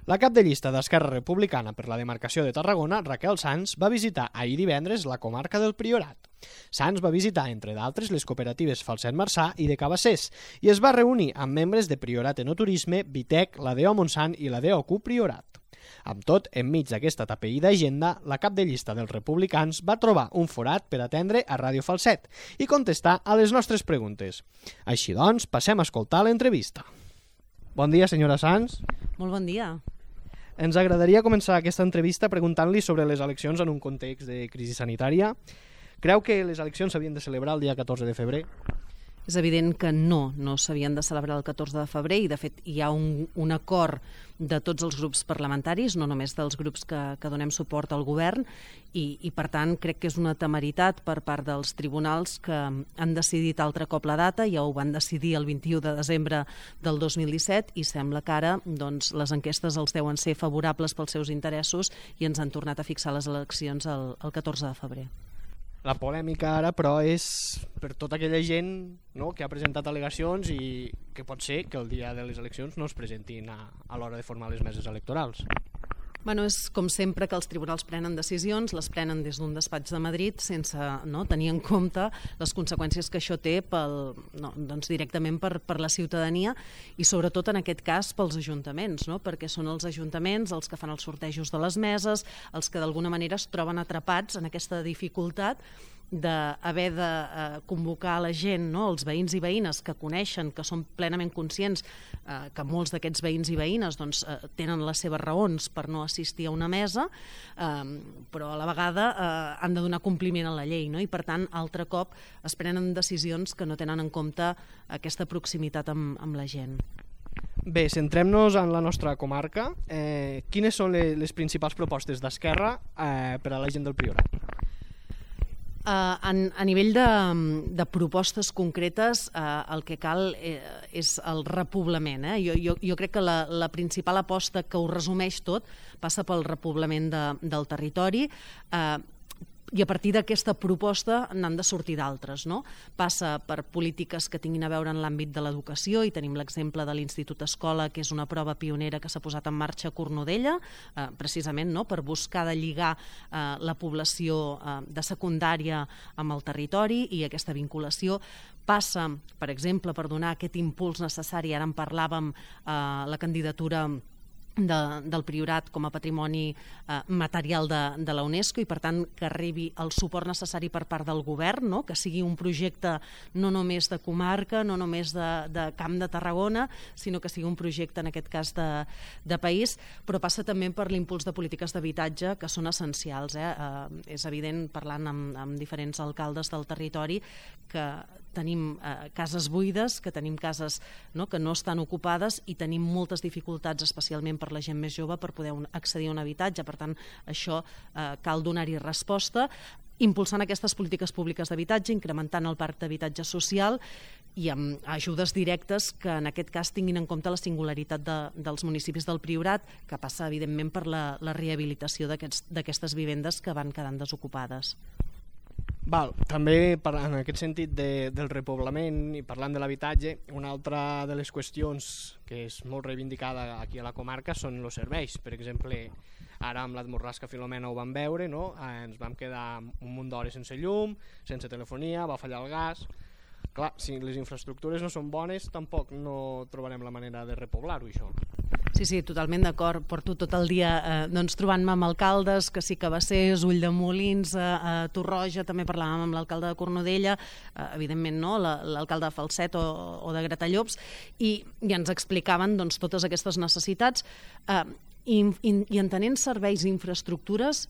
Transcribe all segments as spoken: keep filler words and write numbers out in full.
La cap de llista d'Esquerra Republicana per la demarcació de Tarragona, Raquel Sans, va visitar ahir divendres la comarca del Priorat. Sans va visitar, entre d'altres, les cooperatives Falset Marçà i de Cabassers i es va reunir amb membres de Priorat Enoturisme, Vitec, la D O Montsant i la D O Q Priorat. Amb tot, enmig d'aquesta tapeïda agenda, la cap de llista dels republicans va trobar un forat per atendre a Ràdio Falset i contestar a les nostres preguntes. Així doncs, passem a escoltar l'entrevista. Bon dia, senyora Sans. Molt bon dia. Ens agradaria començar aquesta entrevista preguntant-li sobre les eleccions en un context de crisi sanitària. Creu que les eleccions s'havien de celebrar el dia catorze de febrer? És evident que no, no s'havien de celebrar el catorze de febrer i de fet hi ha un, un acord de tots els grups parlamentaris, no només dels grups que, que donem suport al govern i, i per tant crec que és una temeritat per part dels tribunals que han decidit altre cop la data, ja ho van decidir el vint-i-u de desembre del dos mil disset i sembla que ara doncs, les enquestes els deuen ser favorables pels seus interessos i ens han tornat a fixar les eleccions el, el catorze de febrer. La polèmica ara, però, és per tota aquella gent, no?, que ha presentat al·legacions i que pot ser que el dia de les eleccions no es presentin a, a l'hora de formar les meses electorals. Bueno, és com sempre que els tribunals prenen decisions, les prenen des d'un despatx de Madrid sense no, tenir en compte les conseqüències que això té pel, no, doncs directament per, per la ciutadania i sobretot en aquest cas pels ajuntaments, no? Perquè són els ajuntaments els que fan els sortejos de les meses, els que d'alguna manera es troben atrapats en aquesta dificultat d'haver de eh, convocar la gent, no? Els veïns i veïnes que coneixen, que són plenament conscients eh, que molts d'aquests veïns i veïnes doncs, eh, tenen les seves raons per no assistir a una mesa, eh, però a la vegada eh, han de donar compliment a la llei, no? I per tant, altre cop es prenen decisions que no tenen en compte aquesta proximitat amb, amb la gent. Bé, centrem-nos en la nostra comarca. Eh, quines són les, les principals propostes d'Esquerra eh, per a la gent del Priorat? Uh, en, a nivell de, de propostes concretes, uh, el que cal eh, és el repoblament. Eh? Jo, jo, jo crec que la, la principal aposta que ho resumeix tot passa pel repoblament de, del territori, uh, i a partir d'aquesta proposta n'han de sortir d'altres, no? Passa per polítiques que tinguin a veure en l'àmbit de l'educació i tenim l'exemple de l'Institut Escola, que és una prova pionera que s'ha posat en marxa a Cornudella, eh, precisament no? Per buscar de lligar eh, la població eh, de secundària amb el territori i aquesta vinculació passa, per exemple, per donar aquest impuls necessari, ara en parlàvem, eh, la candidatura De, del Priorat com a patrimoni eh, material de, de la UNESCO i per tant que arribi el suport necessari per part del govern, no? Que sigui un projecte no només de comarca, no només de, de Camp de Tarragona, sinó que sigui un projecte en aquest cas de, de país, però passa també per l'impuls de polítiques d'habitatge que són essencials. Eh? Eh, és evident, parlant amb, amb diferents alcaldes del territori, que tenim eh, cases buides, que tenim cases no, que no estan ocupades i tenim moltes dificultats, especialment per la gent més jove, per poder un, accedir a un habitatge. Per tant, això eh, cal donar-hi resposta, impulsant aquestes polítiques públiques d'habitatge, incrementant el parc d'habitatge social i amb ajudes directes que en aquest cas tinguin en compte la singularitat de, dels municipis del Priorat, que passa evidentment per la, la rehabilitació d'aquestes vivendes que van quedant desocupades. Val, també en aquest sentit de, del repoblament i parlant de l'habitatge, una altra de les qüestions que és molt reivindicada aquí a la comarca són els serveis. Per exemple, ara amb la Morrasca Filomena ho vam veure, no? Eh, ens vam quedar un munt d'hores sense llum, sense telefonia, va fallar el gas. Clar, si les infraestructures no són bones, tampoc no trobarem la manera de repoblar-ho, això. Sí, sí, totalment d'acord. Porto tot el dia eh, doncs, trobant-me amb alcaldes, que sí, Cabassers, Ulldemolins, eh, a Torroja, també parlàvem amb l'alcalde de Cornudella, eh, evidentment no, l'alcalde de Falset o, o de Gratallops, i, i ens explicaven doncs, totes aquestes necessitats eh, i, i, i entenent serveis i infraestructures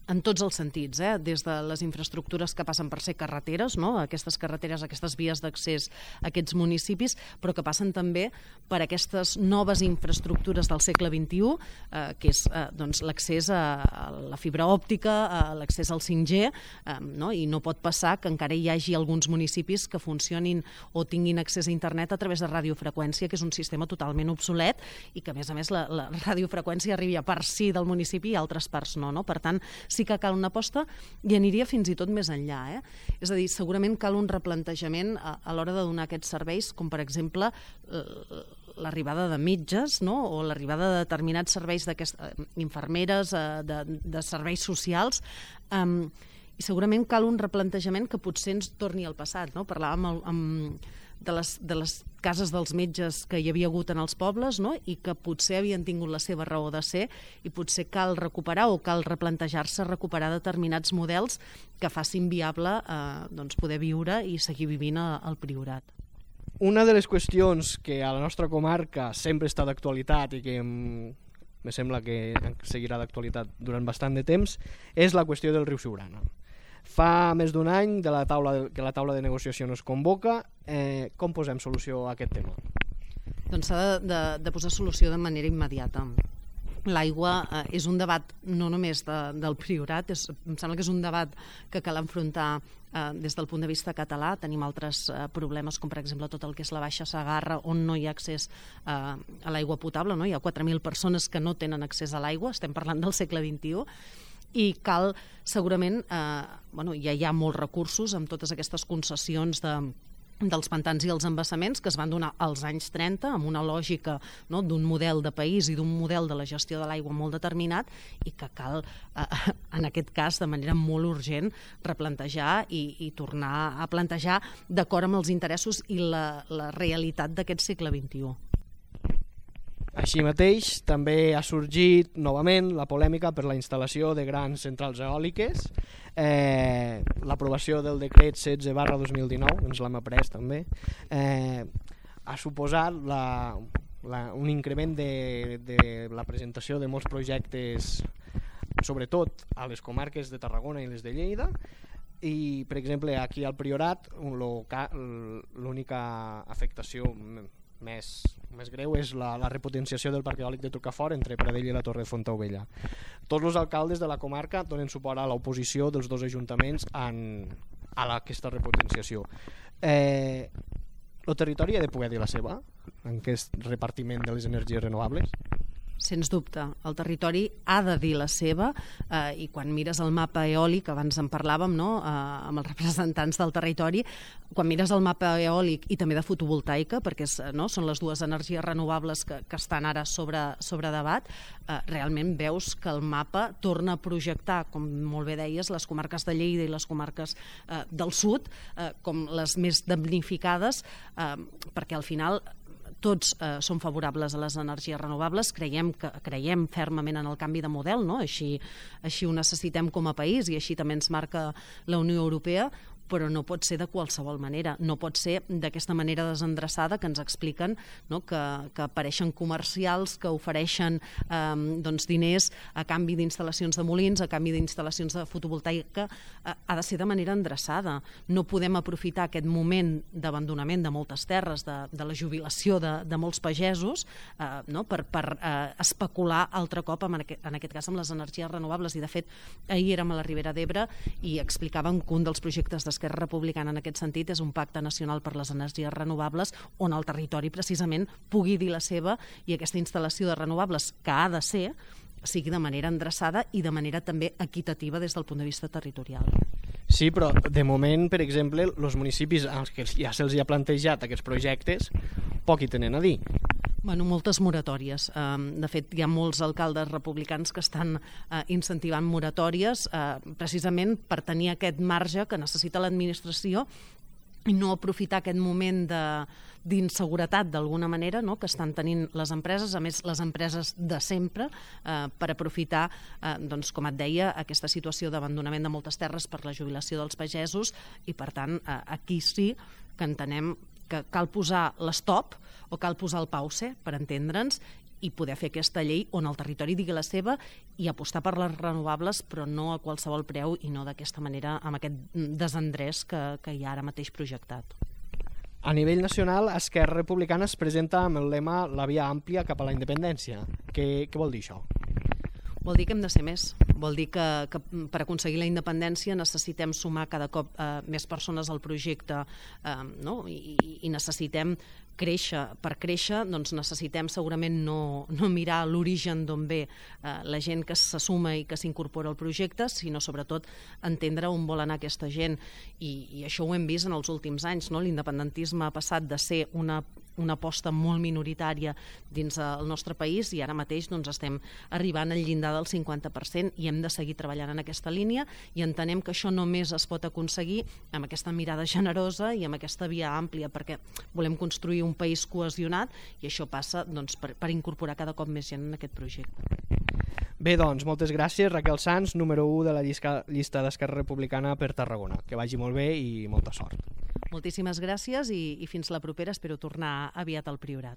en tots els sentits, eh? Des de les infraestructures que passen per ser carreteres, no? Aquestes carreteres, aquestes vies d'accés a aquests municipis, però que passen també per aquestes noves infraestructures del segle vint-i-u, eh, que és eh, doncs, l'accés a, a la fibra òptica, a l'accés al cinc G, eh, no? I no pot passar que encara hi hagi alguns municipis que funcionin o tinguin accés a internet a través de radiofreqüència, que és un sistema totalment obsolet i que, a més a més, la, la radiofreqüència arriba a parts sí del municipi i a altres parts no, no? Per tant, sí que cal una aposta i aniria fins i tot més enllà. Eh? És a dir, segurament cal un replantejament a, a l'hora de donar aquests serveis, com per exemple l'arribada de metges, no? O l'arribada de determinats serveis d'aquestes infermeres, eh, de, de serveis socials, eh, i segurament cal un replantejament que potser ens torni al passat, no? Parlàvem amb, amb, de, les, de les cases dels metges que hi havia hagut en els pobles, no? I que potser havien tingut la seva raó de ser i potser cal recuperar o cal replantejar-se recuperar determinats models que facin viable eh, doncs poder viure i seguir vivint a, al Priorat. Una de les qüestions que a la nostra comarca sempre està d'actualitat i que me sembla que seguirà d'actualitat durant bastant de temps és la qüestió del riu Siurana. Fa més d'un any de la taula de, que la taula de negociació no es convoca. Eh, com posem solució a aquest tema? Doncs s'ha de, de, de posar solució de manera immediata. L'aigua eh, és un debat no només de, del Priorat, és, em sembla que és un debat que cal enfrontar eh, des del punt de vista català. Tenim altres eh, problemes, com per exemple tot el que és la Baixa Segarra, on no hi ha accés eh, a l'aigua potable, no? Hi ha quatre mil persones que no tenen accés a l'aigua, estem parlant del segle vint-i-u, i cal segurament, eh, bueno, ja hi ha molts recursos amb totes aquestes concessions de dels pantans i els embassaments que es van donar als anys trenta amb una lògica, no, d'un model de país i d'un model de la gestió de l'aigua molt determinat i que cal, eh, en aquest cas, de manera molt urgent, replantejar i, i tornar a plantejar d'acord amb els interessos i la, la realitat d'aquest segle vint-i-u. Així mateix, també ha sorgit novament la polèmica per la instal·lació de grans centrals eòliques. Eh, l'aprovació del decret setze barra dos mil dinou, ens l'hem après també, eh, ha suposat la, la, un increment de, de la presentació de molts projectes, sobretot a les comarques de Tarragona i les de Lleida, i per exemple aquí al Priorat l'única afectació més, més greu és la, la repotenciació del parc eòlic de Trocafort entre Pradell i la Torre de Fontaubella. Tots els alcaldes de la comarca donen suport a l'oposició dels dos ajuntaments en, a la, aquesta repotenciació. Eh, el territori ha de poder dir la seva en aquest repartiment de les energies renovables? Sens dubte, el territori ha de dir la seva eh, i quan mires el mapa eòlic, abans en parlàvem, no? eh, amb els representants del territori, quan mires el mapa eòlic i també de fotovoltaica, perquè és, no? són les dues energies renovables que, que estan ara sobre, sobre debat, eh, realment veus que el mapa torna a projectar, com molt bé deies, les comarques de Lleida i les comarques eh, del sud eh, com les més damnificades, eh, perquè al final tots eh, som favorables a les energies renovables, creiem, que, creiem fermament en el canvi de model, no? Així, així ho necessitem com a país i així també ens marca la Unió Europea, però no pot ser de qualsevol manera, no pot ser d'aquesta manera desendreçada que ens expliquen, no? que, que apareixen comercials que ofereixen eh, doncs diners a canvi d'instal·lacions de molins, a canvi d'instal·lacions de fotovoltaica, eh, ha de ser de manera endreçada. No podem aprofitar aquest moment d'abandonament de moltes terres, de, de la jubilació de, de molts pagesos, eh, no? per, per eh, especular altre cop, en aquest, en aquest cas amb les energies renovables. I de fet, ahir érem a la Ribera d'Ebre i explicàvem que un dels projectes de Esquerra Republicana en aquest sentit és un pacte nacional per les energies renovables on el territori precisament pugui dir la seva i aquesta instal·lació de renovables que ha de ser sigui de manera endreçada i de manera també equitativa des del punt de vista territorial. Sí, però de moment, per exemple, els municipis als que ja se'ls ha plantejat aquests projectes poc hi tenen a dir. Bueno, moltes moratòries. De fet, hi ha molts alcaldes republicans que estan incentivant moratòries precisament per tenir aquest marge que necessita l'administració i no aprofitar aquest moment de, d'inseguretat d'alguna manera, no?, que estan tenint les empreses, a més les empreses de sempre, eh, per aprofitar, eh, doncs, com et deia, aquesta situació d'abandonament de moltes terres per la jubilació dels pagesos i, per tant, eh, aquí sí que entenem que cal posar l'estop o cal posar el pause, per entendre'ns, i poder fer aquesta llei on el territori digui la seva i apostar per les renovables, però no a qualsevol preu i no d'aquesta manera, amb aquest desendrés que, que hi ha ara mateix projectat. A nivell nacional, Esquerra Republicana es presenta amb el lema la via àmplia cap a la independència. Què, què vol dir això? Vol dir que hem de ser més. Vol dir que, que per aconseguir la independència necessitem sumar cada cop eh, més persones al projecte, eh, no? I, i necessitem créixer. Per créixer doncs necessitem segurament no, no mirar l'origen d'on ve eh, la gent que se suma i que s'incorpora al projecte, sinó sobretot entendre on vol anar aquesta gent. I, i això ho hem vist en els últims anys, no? L'independentisme ha passat de ser una una aposta molt minoritària dins el nostre país i ara mateix doncs, estem arribant al llindar del cinquanta per cent i hem de seguir treballant en aquesta línia i entenem que això només es pot aconseguir amb aquesta mirada generosa i amb aquesta via àmplia, perquè volem construir un país cohesionat i això passa doncs, per, per incorporar cada cop més gent en aquest projecte. Bé, doncs, moltes gràcies, Raquel Sans, número u de la llista, llista d'Esquerra Republicana per Tarragona. Que vagi molt bé i molta sort. Moltíssimes gràcies i, i fins la propera. Espero tornar aviat al Priorat.